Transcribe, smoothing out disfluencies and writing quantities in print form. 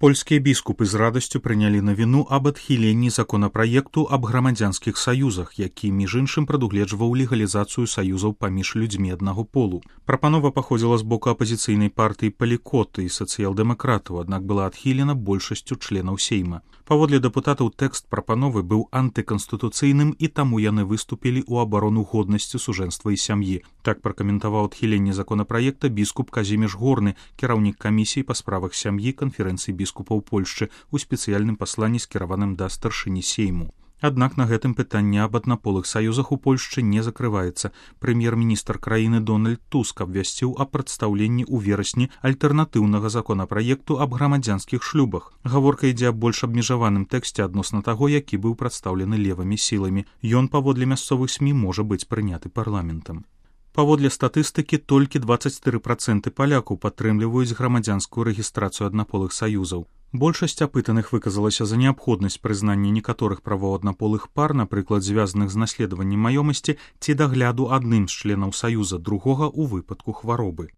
Польскія біскупы з радасцю прынялі навіну аб адхіленні законапраекту аб грамадзянскіх саюзах, які, між іншым, прадугледжваў легалізацыю саюзаў паміж людзьмі аднаго полу. Прапанова паходзіла з боку апазіцыйнай партыі Палікоты і сацыял-дэмакратаў, аднак была адхілена большасцю членаў сейма. Паводле дэпутатаў, тэкст прапановы быў антыканстытуцыйным, і таму яны выступілі ў абарону годнасці сужэнства і сям'і. Так пракаментаваў адхіленне законапраекта біскуп Казіміш Горны, кіраўнік камісіі па справах сям'і канферэнцыі біскупаў Польшчы у спецыяльным пасланні, скіраваным да старшыні сейму. Аднак на гэтым пытанне аб аднаполых саюзах у Польшчы не закрываецца. Прэм'ер-міністр краіны Дональд Туск абвясціў аб прадстаўленні ў верасні альтэрнатыўнага законапраекту аб грамадзянскіх шлюбах. Гаворка ідзе аб больш абмежаваным тэксце адносна таго, які быў прадстаўлены левымі сіламі. Ён, паводле мясцовых СМІ, можа быць прыняты парламентам. Паводле статыстыкі, толькі 24% палякаў падтрымліваюць грамадзянскую рэгістрацыю аднаполых саюзаў. Большасць апытаных выказалася за неабходнасць прызнання некаторых правоў аднаполых пар, напрыклад, звязаных з наследаваннем маёмасці ці дагляду адным з членаў саюза другога ў выпадку хваробы.